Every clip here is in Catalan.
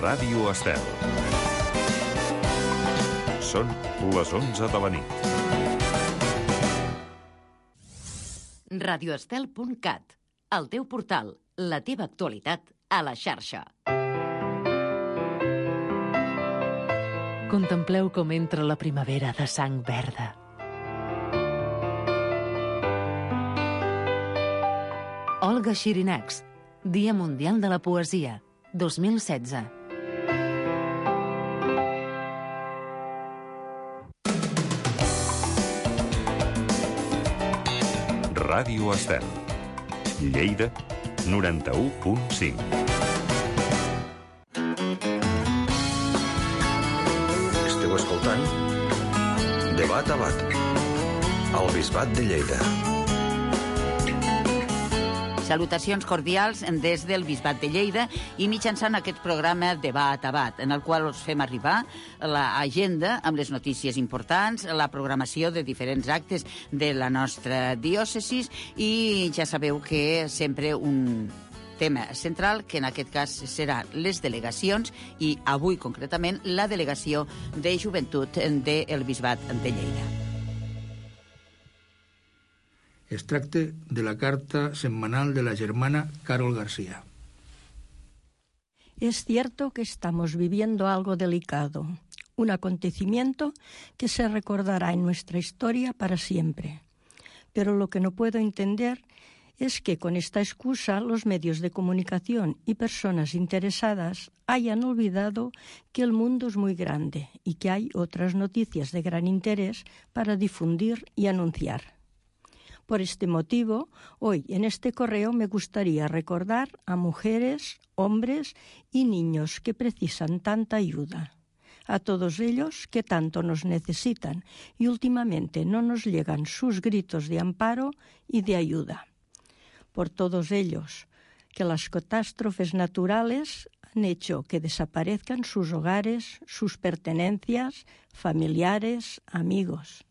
Ràdio Estel. Són les 11 de la nit. radioestel.cat, el teu portal, la teva actualitat a la xarxa. Contempleu com entra la primavera de sang verda. Olga Xirinacs, Dia Mundial de la Poesia, 2016. Ràdio Estel. Lleida, 91.5. Esteu escoltant Debat a Bat, al Bisbat de Lleida. Salutacions cordials des del Bisbat de Lleida i mitjançant aquest programa Debat a Bat, en el qual us fem arribar l'agenda amb les notícies importants, la programació de diferents actes de la nostra diòcesis i ja sabeu que sempre un tema central, que en aquest cas seran les delegacions i avui concretament la delegació de joventut del Bisbat de Lleida. Es tracta de la carta semanal de la germana Carol García. Es cierto que estamos viviendo algo delicado, un acontecimiento que se recordará en nuestra historia para siempre. Pero lo que no puedo entender es que con esta excusa los medios de comunicación y personas interesadas hayan olvidado que el mundo es muy grande y que hay otras noticias de gran interés para difundir y anunciar. Por este motivo, hoy en este correo me gustaría recordar a mujeres, hombres y niños que precisan tanta ayuda. A todos ellos que tanto nos necesitan y últimamente no nos llegan sus gritos de amparo y de ayuda. Por todos ellos que las catástrofes naturales han hecho que desaparezcan sus hogares, sus pertenencias, familiares, amigos.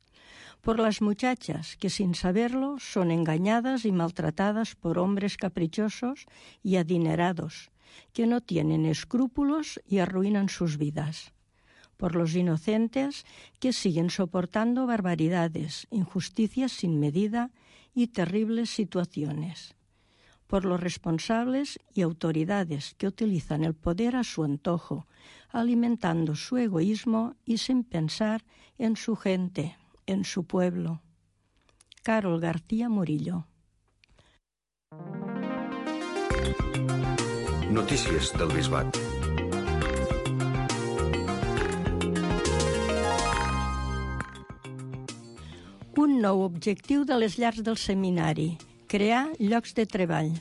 Por las muchachas que sin saberlo son engañadas y maltratadas por hombres caprichosos y adinerados, que no tienen escrúpulos y arruinan sus vidas. Por los inocentes que siguen soportando barbaridades, injusticias sin medida y terribles situaciones. Por los responsables y autoridades que utilizan el poder a su antojo, alimentando su egoísmo y sin pensar en su gente, en su pueblo. Carol García Murillo. Notícies del Bisbat. Un nou objectiu de les llars del seminari: crear llocs de treball.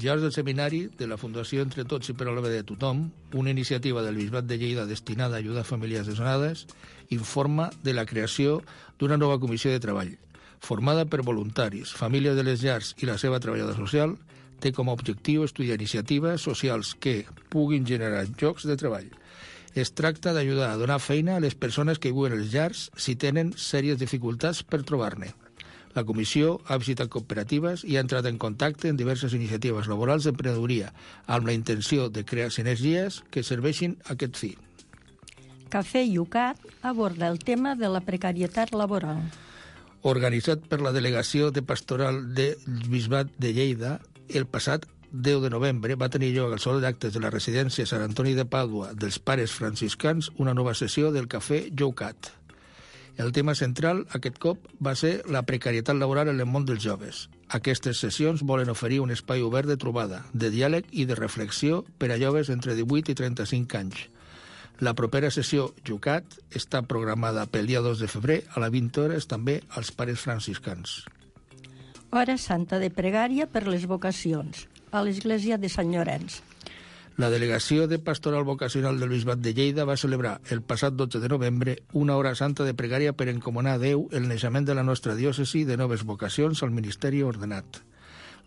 Llars del Seminari, de la Fundació Entre Tots i per al bé de tothom, una iniciativa del Bisbat de Lleida destinada a ajudar famílies desnonades, informa de la creació d'una nova comissió de treball. Formada per voluntaris, famílies de les llars i la seva treballadora social, té com a objectiu estudiar iniciatives socials que puguin generar llocs de treball. Es tracta d'ajudar a donar feina a les persones que viuen a les llars si tenen sèries dificultats per trobar-ne. La comissió ha visitat cooperatives i ha entrat en contacte en diverses iniciatives laborals d'emprenedoria amb la intenció de crear sinergies que serveixin a aquest fi. Cafè Yucat aborda el tema de la precarietat laboral. Organitzat per la Delegació de Pastoral del Bisbat de Lleida, el passat 10 de novembre va tenir lloc al Saló d'Actes de la residència Sant Antoni de Pàdua dels Pares Franciscans una nova sessió del Cafè Yucat. El tema central, aquest cop, va ser la precarietat laboral en el món dels joves. Aquestes sessions volen oferir un espai obert de trobada, de diàleg i de reflexió per a joves entre 18 i 35 anys. La propera sessió Yucat està programada pel dia 2 de febrer a les 20 hores també als Pares Franciscans. Hora santa de pregària per les vocacions, a l'església de Sant Llorenç. La Delegació de Pastoral Vocacional del Bisbat de Lleida va celebrar el passat 12 de novembre una hora santa de pregària per encomanar a Déu el naixement de la nostra diòcesi de noves vocacions al ministeri ordenat.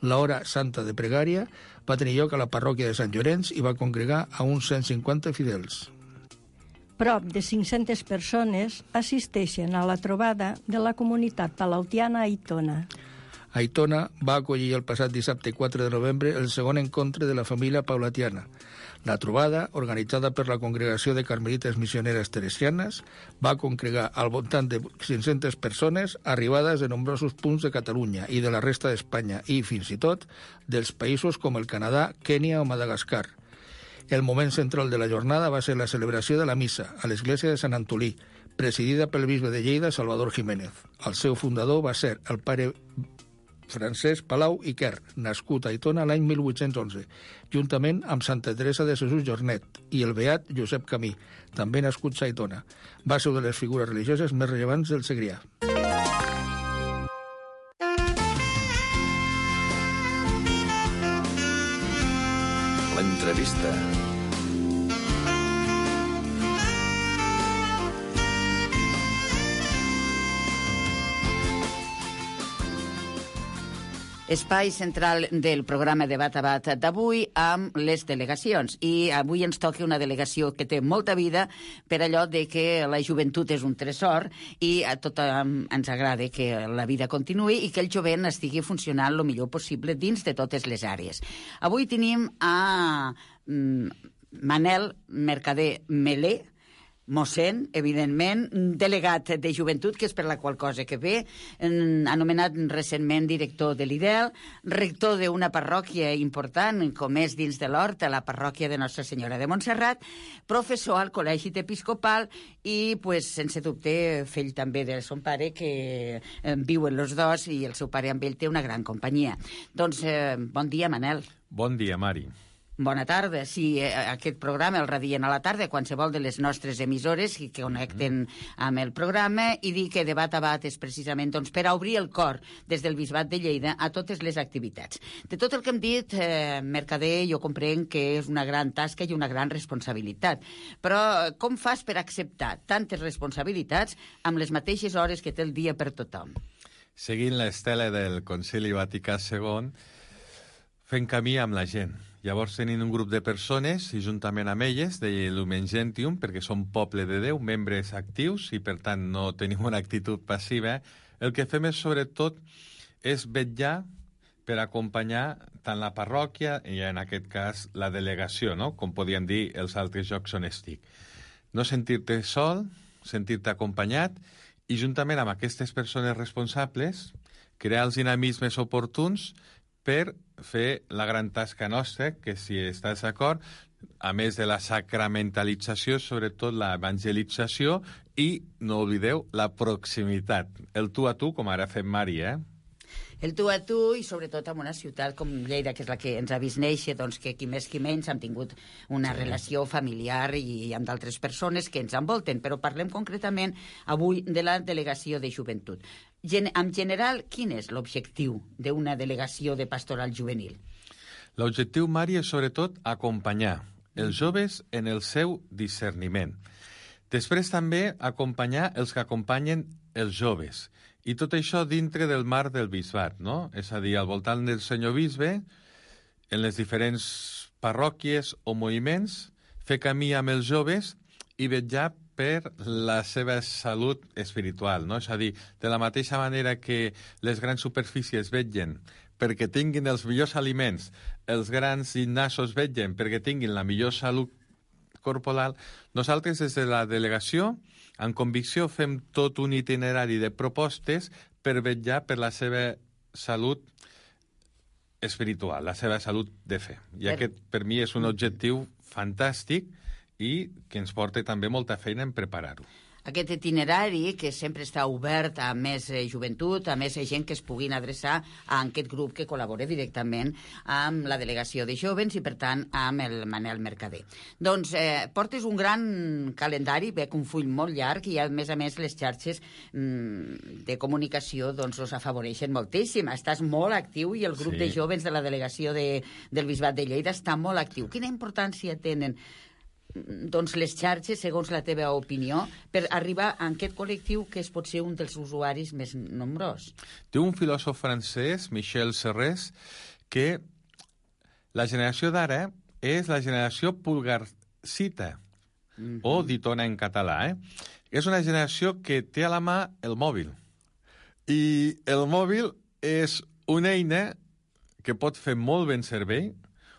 La hora santa de pregària va tenir lloc a la parròquia de Sant Llorenç i va congregar a uns 150 fidels. Prop de 500 persones assisteixen a la trobada de la comunitat palautiana a Aitona. Aitona va acollir el passat dissabte 4 de novembre el segon encontre de la família paulatiana. La trobada, organitzada per la Congregació de Carmelites Missioneres Teresianes, va congregar al voltant de 500 persones arribades de nombrosos punts de Catalunya i de la resta d'Espanya i, fins i tot, dels països com el Canadà, Kènia o Madagascar. El moment central de la jornada va ser la celebració de la missa a l'església de Sant Antolí, presidida pel bisbe de Lleida, Salvador Jiménez. El seu fundador va ser el pare Francesc Palau i Quer, nascut a Aitona l'any 1811, juntament amb Santa Teresa de Jesús Jornet i el beat Josep Camí, també nascut a Aitona. Va ser una de les figures religioses més rellevants del Segrià. L'entrevista. Espai central del programa Debat a Bat d'avui amb les delegacions. I avui ens toca una delegació que té molta vida per allò de que la joventut és un tresor i a tothom ens agrada que la vida continuï i que el jovent estigui funcionant el millor possible dins de totes les àrees. Avui tenim a Manel Mercader Melé, mossèn, evidentment, delegat de joventut, que és per la qual cosa que ve, anomenat recentment director de l'IDEL, rector d'una parròquia important, com és dins de l'Hort, la parròquia de Nostra Senyora de Montserrat, professor al Col·legi Episcopal i, pues, sense dubte, fill també de son pare, que viuen els dos i el seu pare amb ell té una gran companyia. Doncs, bon dia, Manel. Bon dia, Mari. Bona tarda. Sí, aquest programa el radien a la tarda, qualsevol de les nostres emissores que connecten amb el programa, i dir que Debat a Bat és precisament per a obrir el cor des del Bisbat de Lleida a totes les activitats. De tot el que hem dit, Mercader, jo comprenc que és una gran tasca i una gran responsabilitat. Però com fas per acceptar tantes responsabilitats amb les mateixes hores que té el dia per tothom? Seguint l'estela del Concili Vaticà II, fent camí amb la gent. Llavors tenim un grup de persones, i juntament amb elles, de Lumen Gentium, perquè som poble de Déu, membres actius, i per tant no tenim una actitud passiva. El que fem és, sobretot, és vetllar per acompanyar tant la parròquia i, en aquest cas, la delegació, no? Com podien dir els altres llocs on estic. No sentir-te sol, sentir-te acompanyat, i juntament amb aquestes persones responsables, crear els dinamismes oportuns per fer la gran tasca nostra, que, si estàs d'acord, a més de la sacramentalització, sobretot l'evangelització, i, no oblideu, la proximitat. El tu a tu, com ara fem Mari, El tu a tu, i sobretot en una ciutat com Lleida, que és la que ens ha vist néixer, doncs que qui més qui menys hem tingut una relació familiar i amb d'altres persones que ens envolten. Però parlem concretament avui de la delegació de joventut. En general, quin és l'objectiu d'una delegació de pastoral juvenil? L'objectiu, Mari, és sobretot acompanyar els joves en el seu discerniment. Després també acompanyar els que acompanyen els joves. I tot això dintre del marc del bisbat, no? És a dir, al voltant del senyor bisbe, en les diferents parròquies o moviments, fer camí amb els joves i vetllar per la seva salut espiritual, no? És a dir, de la mateixa manera que les grans superfícies vetllen perquè tinguin els millors aliments, els grans gimnasos vetllen perquè tinguin la millor salut corporal, nosaltres des de la delegació, en convicció, fem tot un itinerari de propostes per vetllar per la seva salut espiritual, la seva salut de fe. I aquest, per mi, és un objectiu fantàstic i que ens porta també molta feina en preparar-ho. Aquest itinerari, que sempre està obert a més joventut, a més gent que es puguin adreçar a aquest grup que col·labora directament amb la delegació de jovens i, per tant, amb el Manel Mercader. Doncs portes un gran calendari, veig un full molt llarg, i a més les xarxes de comunicació doncs us afavoreixen moltíssim. Estàs molt actiu i el grup de jovens de la delegació del Bisbat de Lleida està molt actiu. Quina importància tenen doncs les xarxes, segons la teva opinió, per arribar a aquest col·lectiu que és potser un dels usuaris més nombrós? Té un filòsof francès, Michel Serres, que la generació d'ara és la generació pulgarcita, o ditona en català. És una generació que té a la mà el mòbil. I el mòbil és una eina que pot fer molt ben servei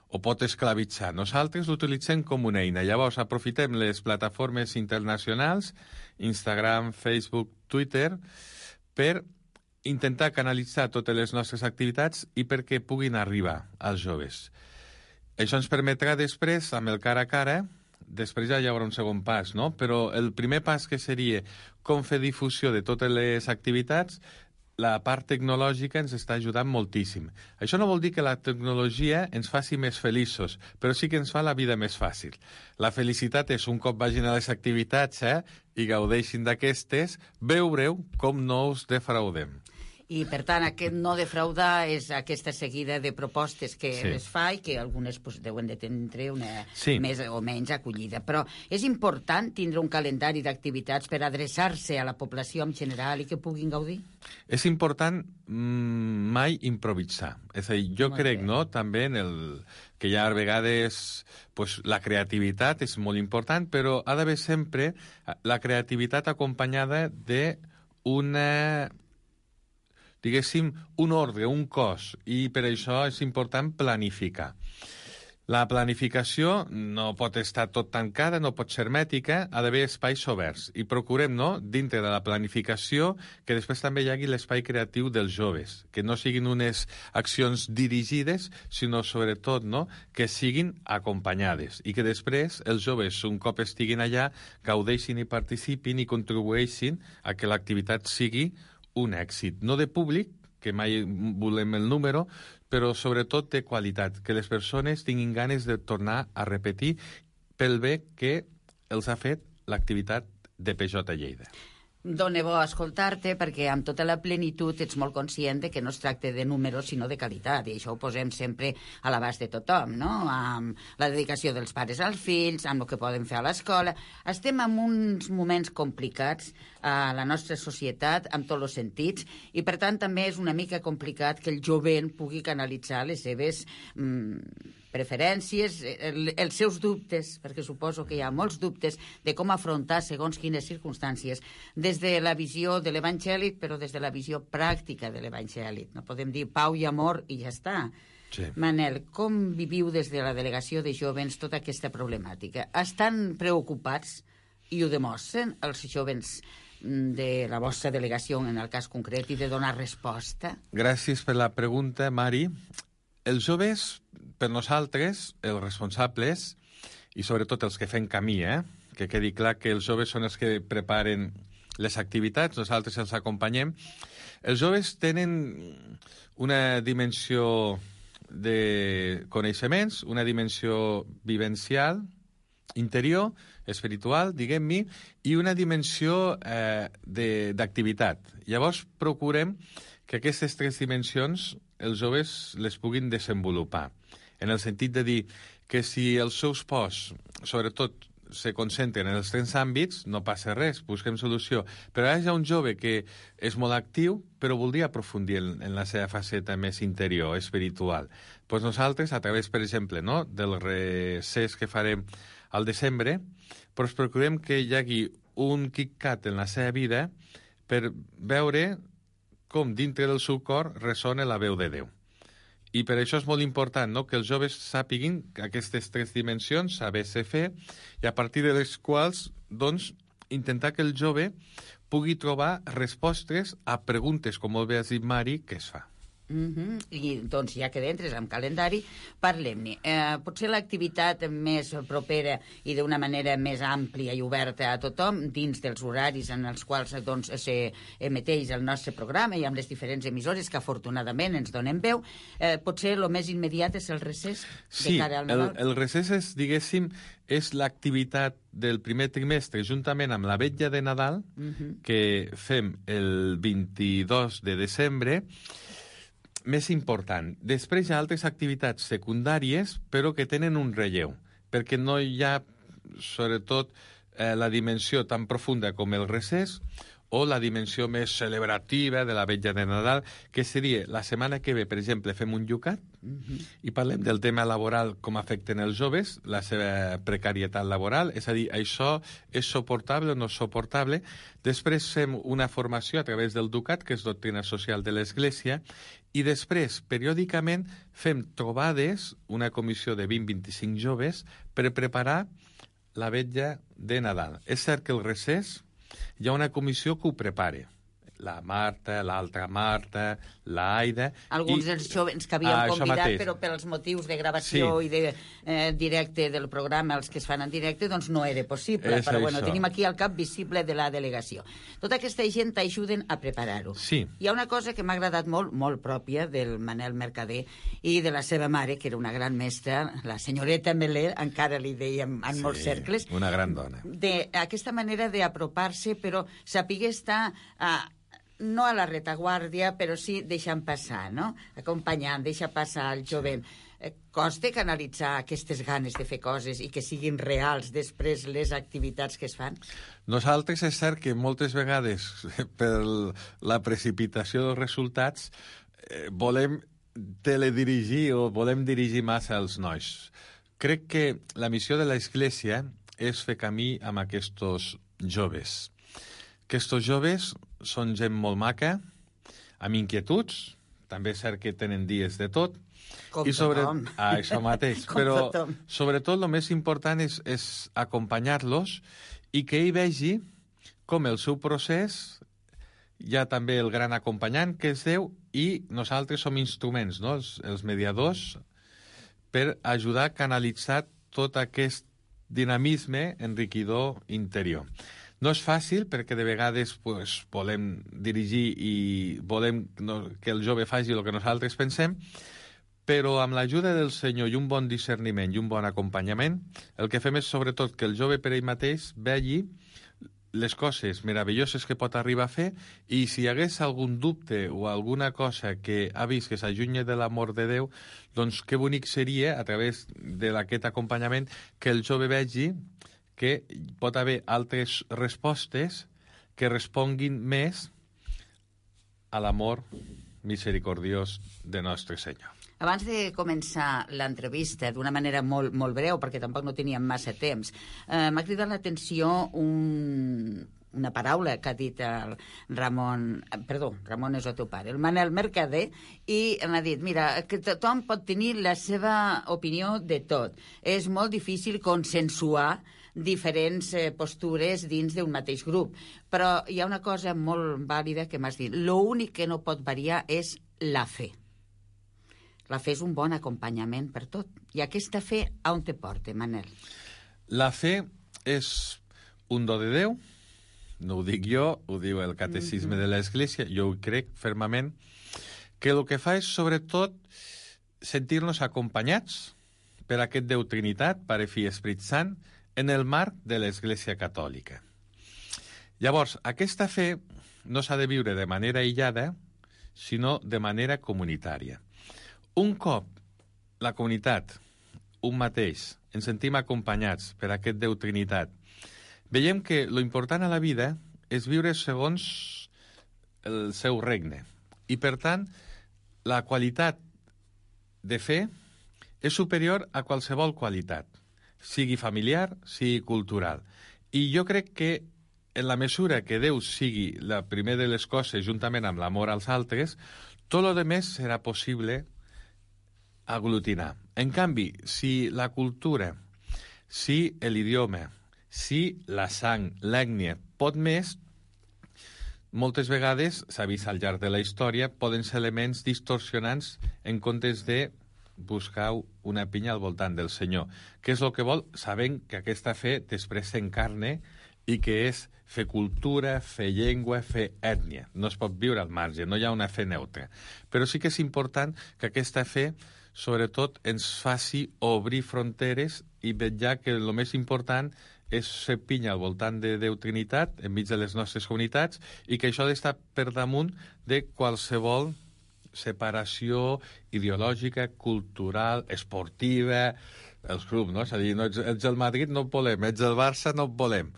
o pot esclavitzar. Nosaltres l'utilitzem com una eina. Llavors, aprofitem les plataformes internacionals, Instagram, Facebook, Twitter, per intentar canalitzar totes les nostres activitats i perquè puguin arribar als joves. Això ens permetrà després, amb el cara a cara, després ja hi haurà un segon pas, no? Però el primer pas que seria com fer difusió de totes les activitats, la part tecnològica ens està ajudant moltíssim. Això no vol dir que la tecnologia ens faci més feliços, però sí que ens fa la vida més fàcil. La felicitat és un cop vagin a les activitats i gaudeixin d'aquestes, veureu com no us defraudem. I, per tant, aquest no defraudar és aquesta seguida de propostes que es fa i que algunes deuen de tindre una més o menys acollida. Però és important tindre un calendari d'activitats per adreçar-se a la població en general i que puguin gaudir? És important mai improvisar. És a dir, jo crec, no?, també que hi ha a vegades la creativitat és molt important, però ha d'haver sempre la creativitat acompanyada d'una, diguéssim, un ordre, un cos, i per això és important planificar. La planificació no pot estar tot tancada, no pot ser hermètica, ha d'haver espais oberts. I procurem, no?, dintre de la planificació, que després també hi hagi l'espai creatiu dels joves, que no siguin unes accions dirigides, sinó sobretot, no?, que siguin acompanyades i que després els joves, un cop estiguin allà, gaudeixin i participin i contribueixin a que l'activitat sigui un èxit, no de públic, que mai volem el número, però sobretot de qualitat, que les persones tinguin ganes de tornar a repetir pel bé que els ha fet l'activitat de PJ Lleida. Dóna bo escoltar-te perquè amb tota la plenitud ets molt conscient de que no es tracta de números sinó de qualitat, i això ho posem sempre a l'abast de tothom, no? Amb la dedicació dels pares als fills, amb el que poden fer a l'escola. Estem en uns moments complicats a la nostra societat en tots els sentits i per tant també és una mica complicat que el jovent pugui canalitzar les seves preferències, els seus dubtes, perquè suposo que hi ha molts dubtes de com afrontar segons quines circumstàncies, des de la visió de l'Evangeli, però des de la visió pràctica de l'Evangeli. No podem dir pau i amor i ja està. Sí. Manel, com viviu des de la delegació de jovens tota aquesta problemàtica? Estan preocupats, i ho demostren, els jovens de la vostra delegació en el cas concret i de donar resposta? Gràcies per la pregunta, Mari. Els joves, per nosaltres, els responsables, i sobretot els que fem camí, que quedi clar que els joves són els que preparen les activitats, nosaltres els acompanyem. Els joves tenen una dimensió de coneixements, una dimensió vivencial, interior, espiritual, diguem-ne, i una dimensió d'activitat. Llavors procurem que aquestes tres dimensions els joves les puguin desenvolupar, en el sentit de dir que si els seus pors, sobretot, se concentren en els tres àmbits, no passa res, busquem solució. Però hi ha un jove que és molt actiu, però voldria aprofundir en la seva faceta més interior, espiritual. Doncs nosaltres, a través, per exemple, no, del recés que farem al desembre, doncs procurem que hi hagi un KitKat en la seva vida per veure com dintre del seu cor ressona la veu de Déu. I per això és molt important, no?, que els joves sàpiguin aquestes tres dimensions, saber-se fer, i a partir de les quals, doncs, intentar que el jove pugui trobar respostes a preguntes, com molt bé has dit, Mari, que es fa. I doncs ja que entres amb calendari, parlem-ne. Potser l'activitat més propera i d'una manera més àmplia i oberta a tothom dins dels horaris en els quals doncs s'emeteix el nostre programa i amb les diferents emissores que afortunadament ens donen veu, potser el més immediat és el recés de cara al Nadal. Sí, el recés és, diguéssim, és l'activitat del primer trimestre juntament amb la vetlla de Nadal que fem el 22 de desembre, més important. Després hi ha altres activitats secundàries, però que tenen un relleu, perquè no hi ha, sobretot, la dimensió tan profunda com el recés o la dimensió més celebrativa de la vetlla de Nadal, que seria la setmana que ve, per exemple, fem un llucat i parlem del tema laboral, com afecten els joves, la seva precarietat laboral, és a dir, això és suportable o no és suportable. Després fem una formació a través del Ducat, que és doctrina social de l'Església, i després, periòdicament, fem trobades, una comissió de 20-25 joves, per preparar la vetlla de Nadal. És cert que el recés hi ha una comissió que ho prepara. La Marta, l'altra Marta, l'Aida... Alguns dels jovens que havíem convidat, però pels motius de gravació i de directe del programa, els que es fan en directe, doncs no era possible. Però bueno, tenim aquí el cap visible de la delegació. Tota aquesta gent t'ajuden a preparar-ho. Sí. Hi ha una cosa que m'ha agradat molt, molt pròpia del Manel Mercader i de la seva mare, que era una gran mestra, la senyoreta Meler, encara li dèiem en molts cercles. Una gran dona. Aquesta manera d'apropar-se, però saber estar... no a la retaguardia, però sí deixant passar, no? Acompanyant, deixa passar el jovent. Costa canalitzar aquestes ganes de fer coses i que siguin reals després les activitats que es fan? Nosaltres és cert que moltes vegades, per la precipitació dels resultats, volem teledirigir o volem dirigir massa els nois. Crec que la missió de l'Església és fer camí amb aquests joves. Aquests joves són gent molt maca, amb inquietuds, també és cert que tenen dies de tot. Com tothom. Això mateix. Però sobretot el més important és acompanyar-los i que ell vegi com el seu procés, hi ha també el gran acompanyant que és Déu i nosaltres som instruments, no? els mediadors, per ajudar a canalitzar tot aquest dinamisme enriquidor interior. No és fàcil perquè de vegades volem dirigir i volem que el jove faci el que nosaltres pensem, però amb l'ajuda del Senyor i un bon discerniment i un bon acompanyament, el que fem és sobretot que el jove per ell mateix vegi les coses meravelloses que pot arribar a fer i si hi hagués algun dubte o alguna cosa que ha vist que s'allunya de l'amor de Déu, doncs que bonic seria, a través d'aquest acompanyament, que el jove vegi que pot haver altres respostes que responguin més a l'amor misericordiós de Nostre Senyor. Abans de començar l'entrevista, d'una manera molt, molt breu, perquè tampoc no teníem massa temps, m'ha cridat l'atenció una paraula que ha dit el Ramon és el teu pare, el Manel Mercader, i m'ha dit, mira, que tothom pot tenir la seva opinió de tot. És molt difícil consensuar diferents postures dins d'un mateix grup. Però hi ha una cosa molt vàlida que m'has dit. L'únic que no pot variar és la fe. La fe és un bon acompanyament per tot. I aquesta fe, on te porta, Manel? La fe és un do de Déu, no ho dic jo, ho diu el Catecisme de l'Església, jo ho crec fermament, que el que fa és, sobretot, sentir-nos acompanyats per aquest Déu Trinitat, Pare, Fill i Esperit Sant, en el marc de l'Església Catòlica. Llavors, aquesta fe no s'ha de viure de manera aïllada, sinó de manera comunitària. Un cop la comunitat, un mateix, ens sentim acompanyats per aquest Déu Trinitat, veiem que lo important a la vida és viure segons el seu regne. I, per tant, la qualitat de fe és superior a qualsevol qualitat, sigui familiar, sigui cultural. I jo crec que en la mesura que Déu sigui la primera de les coses, juntament amb l'amor als altres, tot el més serà possible aglutinar. En canvi, si la cultura, si l'idioma, si la sang, l'ètnia, pot més, moltes vegades, s'ha vist al llarg de la història, poden ser elements distorsionants en comptes de buscar una pinya al voltant del Senyor. Què és el que vol? Sabent que aquesta fe després s'encarna i que és fer cultura, fer llengua, fer ètnia. No es pot viure al marge, no hi ha una fe neutra. Però sí que és important que aquesta fe, sobretot, ens faci obrir fronteres i vetllar que el més important és ser pinya al voltant de Déu Trinitat, enmig de les nostres comunitats, i que això ha d'estar per damunt de qualsevol separació ideològica, cultural, esportiva, els clubs, no? És a dir, ets del Madrid, no et volem, ets del Barça, no et volem.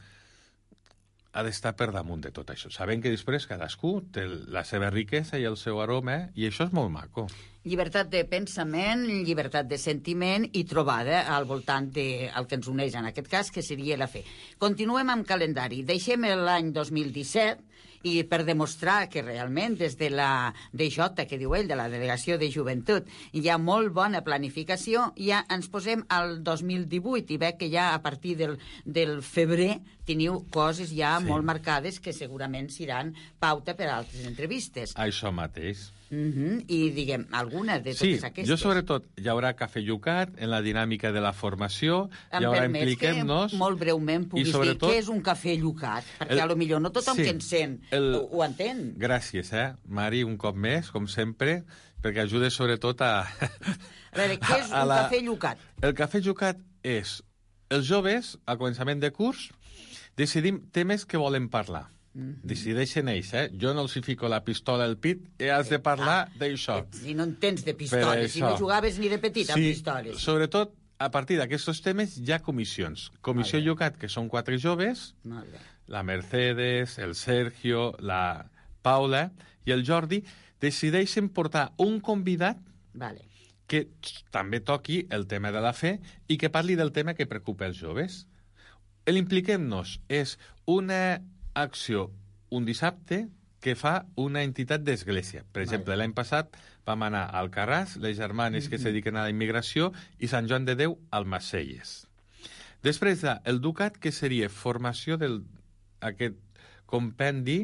ha d'estar per damunt de tot això. Sabem que després cadascú té la seva riquesa i el seu aroma, i això és molt maco. Llibertat de pensament, llibertat de sentiment i trobada al voltant del que ens uneix en aquest cas, que seria la fe. Continuem amb calendari. Deixem l'any 2017 i per demostrar que realment des de la DJ, que diu ell, de la Delegació de Joventut, hi ha molt bona planificació, ja ens posem al 2018 i veig que ja a partir del febrer teniu coses ja molt marcades que segurament seran pauta per a altres entrevistes. Això mateix. I diguem, alguna de totes aquestes. Jo sobretot, hi haurà cafè llucat en la dinàmica de la formació, hi haurà impliquem-nos... Que molt breument puguis dir què és un cafè llucat, perquè a lo millor no tothom que ens sent ho entén. Gràcies, Mari, un cop més, com sempre, perquè ajudes sobretot a... A veure, què és un cafè llucat? El cafè llucat és... Els joves, al començament de curs, decidim temes que volen parlar. Decideixen ells, Jo no els hi fico la pistola al pit i has de parlar d'això. Si no en tens de pistoles, si no jugaves ni de petit amb pistoles. Sobretot, a partir d'aquests temes hi ha comissions. Comissió Llucat, que són 4 joves, la Mercedes, el Sergio, la Paula i el Jordi, decideixen portar un convidat que també toqui el tema de la fe i que parli del tema que preocupa els joves. L'Impliquem-nos és una acció un dissabte que fa una entitat d'església. Per exemple, l'any passat vam anar al Alcarràs, les germanes que es dediquen a la immigració, i Sant Joan de Déu al Macelles. Després el Ducat, que seria formació d'aquest compendi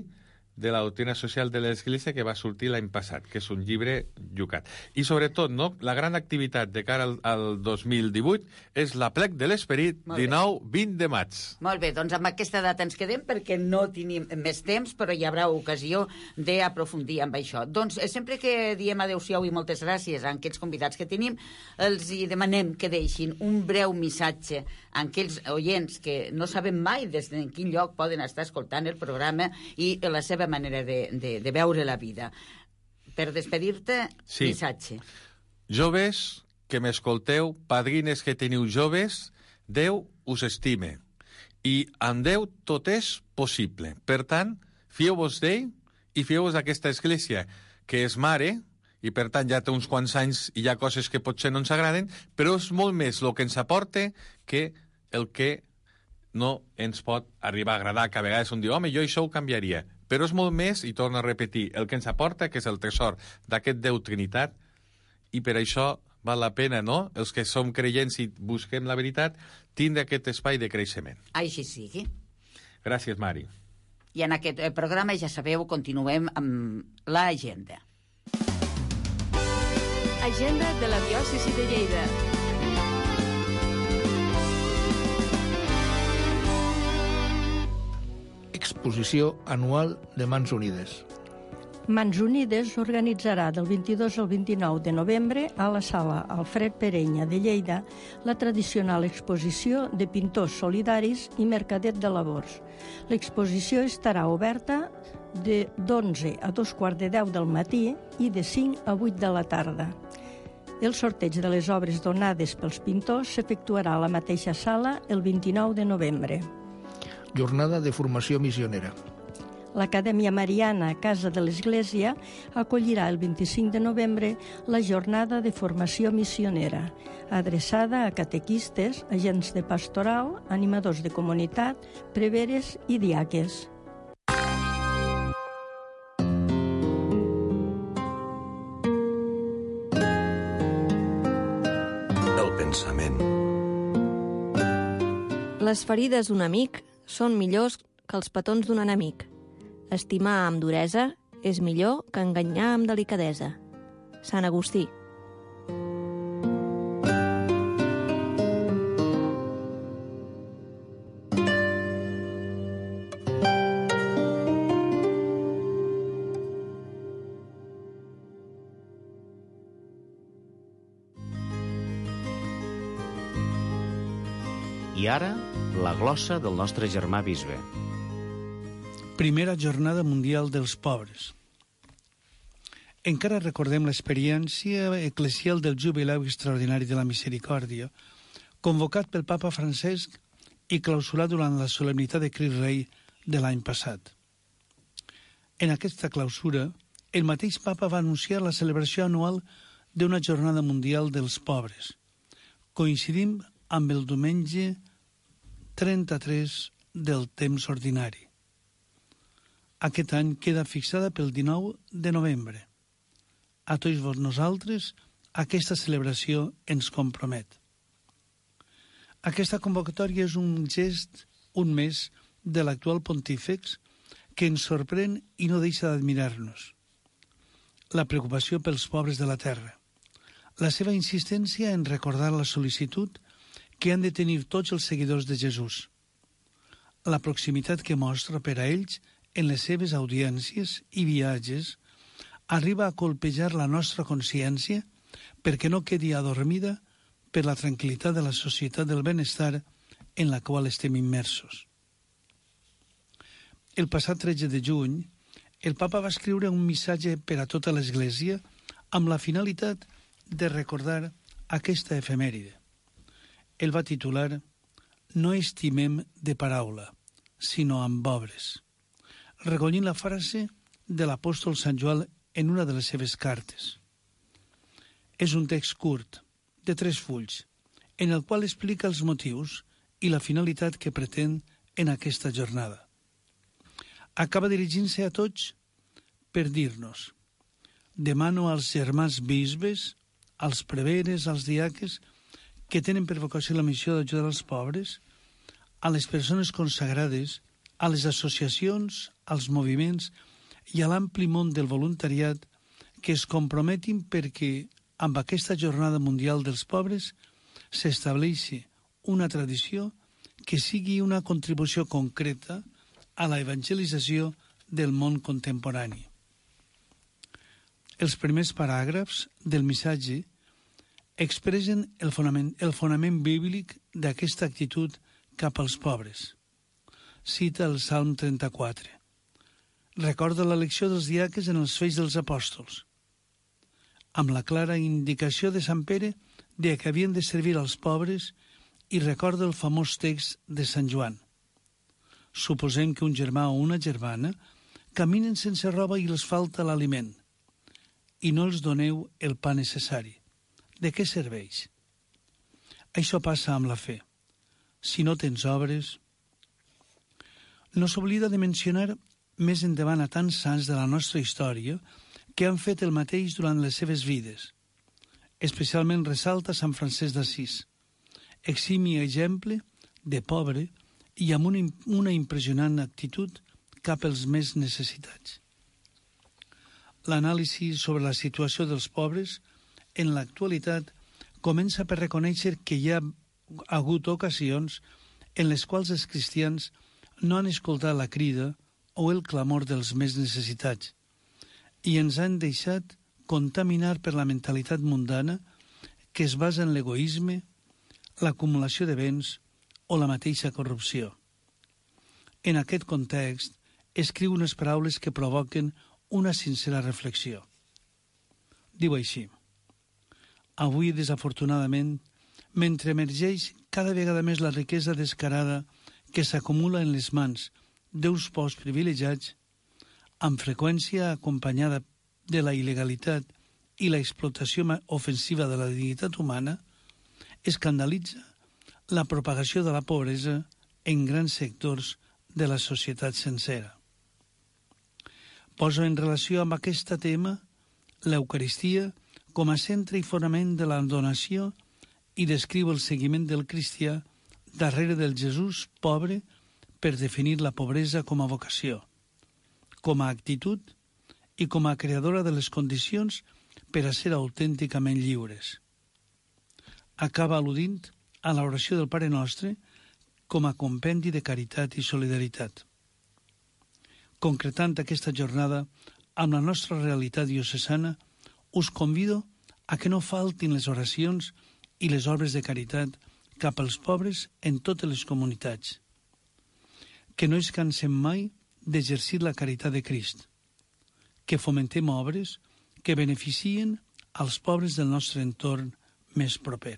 de la doctrina social de l'Església que va sortir l'any passat, que és un llibre llucat. I sobretot, la gran activitat de cara al 2018 és l'Aplec de l'Esperit, 19-20 de maig. Molt bé, doncs amb aquesta data ens quedem perquè no tenim més temps, però hi haurà ocasió d'aprofundir amb això. Doncs sempre que diem adeu-siau i moltes gràcies a aquests convidats que tenim, els hi demanem que deixin un breu missatge a aquells oients que no sabem mai des de quin lloc poden estar escoltant el programa i la seva manera de veure la vida. Per despedir-te, missatge. Joves que m'escolteu, padrines que teniu joves, Déu us estime. I amb Déu tot és possible. Per tant, fieu-vos d'ell i fieu-vos d'aquesta església, que és mare, i per tant ja té uns quants anys i hi ha coses que potser no ens agraden, però és molt més el que ens aporta que el que no ens pot arribar a agradar, que a vegades un diu, home, jo això ho canviaria. Però és molt més, i torno a repetir, el que ens aporta, que és el tresor d'aquest Déu Trinitat, i per això val la pena, no?, els que som creients i busquem la veritat, tindre aquest espai de creixement. Així sigui. Gràcies, Mari. I en aquest programa, ja sabeu, continuem amb l'agenda. Agenda de la diòcesi de Lleida. Exposició anual de Mans Unides. Mans Unides organitzarà del 22 al 29 de novembre a la sala Alfred Perenya de Lleida la tradicional exposició de pintors solidaris i mercadet de labors. L'exposició estarà oberta de 11 a 2:15 del matí i de 5 a 8 de la tarda. El sorteig de les obres donades pels pintors s'efectuarà a la mateixa sala el 29 de novembre. Jornada de formació missionera. L'Acadèmia Mariana Casa de l'Església acollirà el 25 de novembre la jornada de formació missionera, adreçada a catequistes, agents de pastoral, animadors de comunitat, preveres i diaques. El pensament. Les ferides d'un amic són millors que els petons d'un enemic. Estimar amb duresa és millor que enganyar amb delicadesa. Sant Agustí. I ara, la glossa del nostre germà bisbe. Primera Jornada Mundial dels Pobres. Encara recordem l'experiència eclesial del Jubilau Extraordinari de la Misericòrdia, convocat pel Papa Francesc i clausurat durant la solemnitat de Crist Rei de l'any passat. En aquesta clausura, el mateix papa va anunciar la celebració anual d'una jornada mundial dels pobres, coincidint amb el diumenge 33 del temps ordinari. Aquest any queda fixada pel 19 de novembre. A tots nosaltres, aquesta celebració ens compromet. Aquesta convocatòria és un gest, un mes, de l'actual pontífex que ens sorprèn i no deixa d'admirar-nos. La preocupació pels pobres de la terra. La seva insistència en recordar la sol·licitud que han de tenir tots els seguidors de Jesús. La proximitat que mostra per a ells en les seves audiències i viatges arriba a colpejar la nostra consciència perquè no quedi adormida per la tranquil·litat de la societat del benestar en la qual estem immersos. El passat 13 de juny, el papa va escriure un missatge per a tota l'Església amb la finalitat de recordar aquesta efemèride. El va titular «No estimem de paraula, sinó amb obres», recollint la frase de l'apòstol Sant Joan en una de les seves cartes. És un text curt, de 3 fulls, en el qual explica els motius i la finalitat que pretén en aquesta jornada. Acaba dirigint-se a tots per dir-nos: demano als germans bisbes, als preveres, als diaques, que tenen per vocació la missió d'ajudar els pobres, a les persones consagrades, a les associacions, als moviments i a l'ampli món del voluntariat que es comprometin perquè amb aquesta Jornada Mundial dels Pobres s'estableixi una tradició que sigui una contribució concreta a la evangelització del món contemporani. Els primers paràgrafs del missatge expressen el fonament bíblic d'aquesta actitud cap als pobres. Cita el Salm 34. Recorda l'elecció dels diaques en els Fets dels Apòstols, amb la clara indicació de Sant Pere de que havien de servir als pobres, i recorda el famós text de Sant Joan. Suposem que un germà o una germana caminen sense roba i els falta l'aliment, i no els doneu el pa necessari. De què serveix? Això passa amb la fe. Si no tens obres... No s'oblida de mencionar més endavant a tants sants de la nostra història que han fet el mateix durant les seves vides. Especialment ressalta Sant Francesc d'Assís, eximi exemple de pobre i amb una impressionant actitud cap als més necessitats. L'anàlisi sobre la situació dels pobres en l'actualitat comença per reconèixer que hi ha hagut ocasions en les quals els cristians no han escoltat la crida o el clamor dels més necessitats i ens han deixat contaminar per la mentalitat mundana que es basa en l'egoisme, l'acumulació de béns o la mateixa corrupció. En aquest context, escriu unes paraules que provoquen una sincera reflexió. Diu així: avui, desafortunadament, mentre emergeix cada vegada més la riquesa descarada que s'acumula en les mans d'uns pocs privilegiats, amb freqüència acompanyada de la il·legalitat i la explotació ofensiva de la dignitat humana, escandalitza la propagació de la pobresa en grans sectors de la societat sencera. Poso en relació amb aquest tema l'Eucaristia com a centre i fonament de la donació i descriu el seguiment del cristià darrere del Jesús pobre per definir la pobresa com a vocació, com a actitud i com a creadora de les condicions per a ser autènticament lliures. Acaba al·ludint a l'oració del Pare Nostre com a compendi de caritat i solidaritat. Concretant aquesta jornada amb la nostra realitat diocesana, us convido a que no faltin les oracions i les obres de caritat cap als pobres en totes les comunitats. Que no ens cansem mai d'exercir la caritat de Crist. Que fomentem obres que beneficien als pobres del nostre entorn més proper.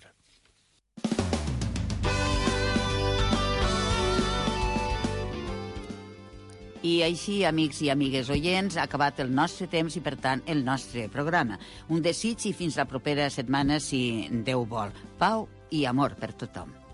I així, amics i amigues oients, ha acabat el nostre temps i, per tant, el nostre programa. Un desig i fins la propera setmana, si Déu vol. Pau i amor per tothom.